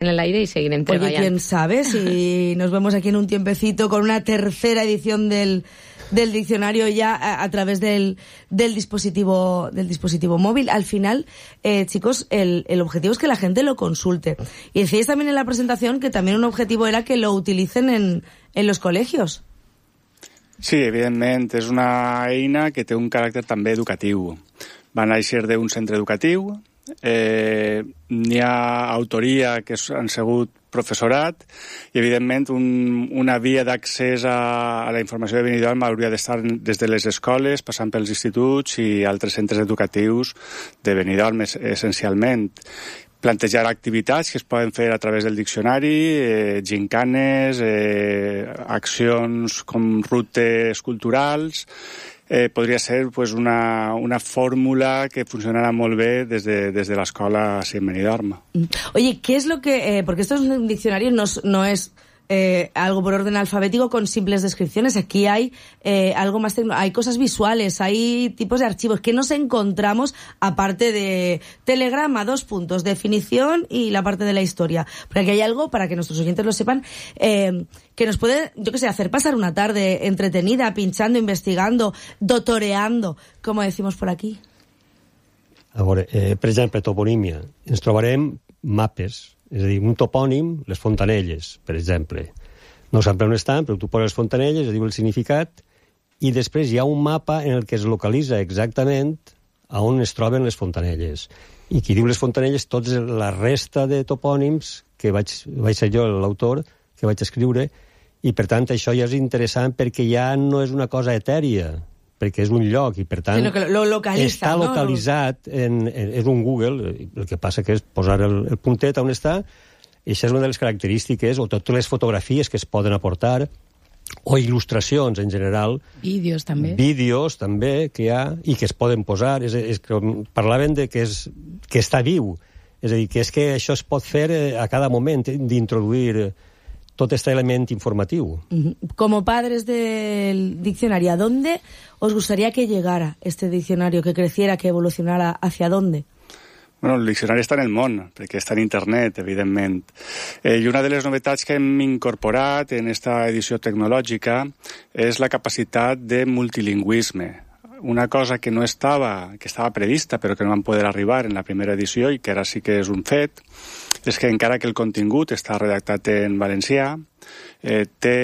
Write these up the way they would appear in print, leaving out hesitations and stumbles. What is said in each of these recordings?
en el aire y seguirem treballant. Oye, quién sabe si nos vemos aquí en un tiempecito con una tercera edición del diccionario ya a través del dispositivo móvil. Al final, chicos, el objetivo es que la gente lo consulte. Y decíais también en la presentación que también un objetivo era que lo utilicen en los colegios. Sí, evidentment, és una eina que té un caràcter també educatiu. Va néixer d'un centre educatiu, n'hi ha autoria que han sigut professorat i, evidentment, una via d'accés a la informació de Benidorm hauria d'estar des de les escoles, passant pels instituts i altres centres educatius de Benidorm, essencialment. Plantejar activitats que es poden fer a través del diccionari, gincanes, accions com rutes culturals. Podria ser pues, una fórmula que funcionarà molt bé des de l'escola en Benidorm. Oye, ¿qué es lo que...? Porque esto es un diccionario, no es algo por orden alfabético con simples descripciones. Aquí hay algo más hay cosas visuales, hay tipos de archivos que nos encontramos aparte de telegrama, 2 puntos, definición y la parte de la historia. Porque aquí hay algo, para que nuestros oyentes lo sepan, que nos puede, yo qué sé, hacer pasar una tarde entretenida, pinchando, investigando, dotoreando, como decimos por aquí. A veure, per exemple, toponímia. Ens trobarem mapes. És a dir, un topònim, les Fontanelles, per exemple. No sap on estan, però tu poses les Fontanelles, es diu el significat, i després hi ha un mapa en el que es localitza exactament a on es troben les Fontanelles. I qui diu les Fontanelles, tots la resta de topònims, que vaig ser jo l'autor, que vaig escriure, i per tant això ja és interessant perquè ja no és una cosa etèria, perquè és un lloc i, per tant, està localitzat, és un Google, el que passa que és posar el puntet on està, i això és una de les característiques, o totes les fotografies que es poden aportar, o il·lustracions en general. Vídeos també. Vídeos també que hi ha i que es poden posar. És que parlaven de que està viu. És a dir, que és que això es pot fer a cada moment, d'introduir todo este elemento informativo. Como padres del diccionario, ¿a dónde os gustaría que llegara este diccionario, que creciera, que evolucionara? ¿Hacia dónde? Bueno, el diccionari està en el món, perquè està en internet, evidentment. I una de les novetats que hem incorporat en esta edició tecnològica és la capacitat de multilingüisme. Una cosa que no estava, que estava prevista, però que no van poder arribar en la primera edició i que ara sí que és un fet, és que encara que el contingut està redactat en valencià, té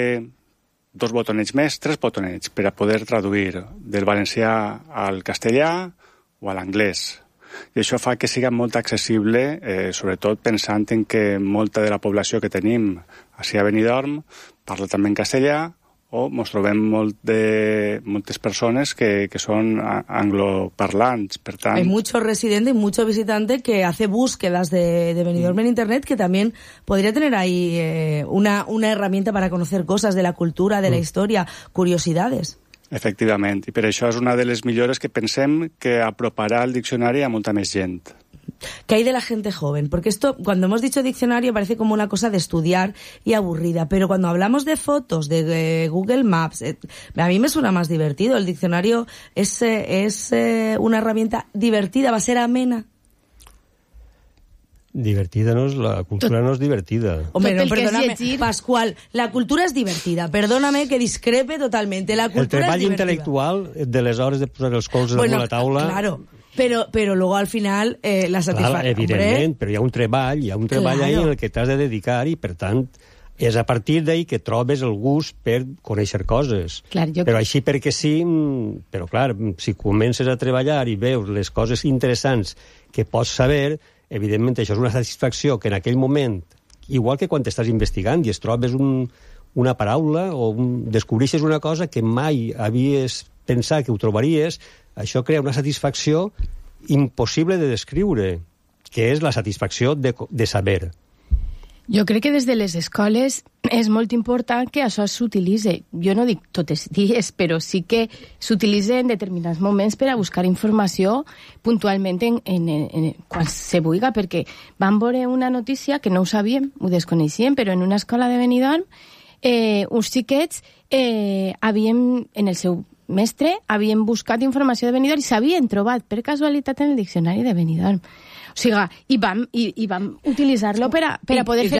2 botonets més, 3 botonets, per a poder traduir del valencià al castellà o a l'anglès. I això fa que siga molt accessible, sobretot pensant en que molta de la població que tenim a Benidorm parla també en castellà, o ens trobem moltes persones que son angloparlants, per tant... Hay mucho residente y mucho visitante que hace búsquedas de Benidorm en internet, que también podría tener ahí una herramienta para conocer cosas de la cultura, de la historia, curiosidades. Efectivament, i per això és una de les millores que pensem que aproparà el diccionari a molta més gent. ¿Qué hay de la gente joven? Porque esto, cuando hemos dicho diccionario, parece como una cosa de estudiar y aburrida, pero cuando hablamos de fotos, de Google Maps, a mí me suena más divertido. El diccionario es una herramienta divertida, va a ser amena. Divertida no és, la cultura no és divertida. Hombre, no, perdóname, Pascual, la cultura es divertida. Perdóname que discrepe totalmente. La cultura el treball es divertida. Intel·lectual de les hores de posar els colzes damunt la taula... Claro, pero luego al final la satisfacció... Evidentment, però hi ha un treball ahí en el que t'has de dedicar i, per tant, és a partir d'ahí que trobes el gust per conèixer coses. Clar, però així perquè sí, però clar, si comences a treballar i veus les coses interessants que pots saber, evidentment això és una satisfacció que en aquell moment, igual que quan estàs investigant i es trobes una paraula o descobreixes una cosa que mai havies pensat que ho trobaries, això crea una satisfacció impossible de descriure, que és la satisfacció de saber. Jo crec que des de les escoles és molt important que això s'utilitzi. Jo no dic tots els dies, però sí que s'utilitza en determinats moments per a buscar informació puntualment quan se vulgui, perquè vam veure una notícia que no ho sabíem, ho desconeixíem, però en una escola de Benidorm uns xiquets havien, en el seu mestre, havien buscat informació de Benidorm i s'havien trobat per casualitat en el diccionari de Benidorm. O O sigui, i vam utilitzar-lo per a poder fer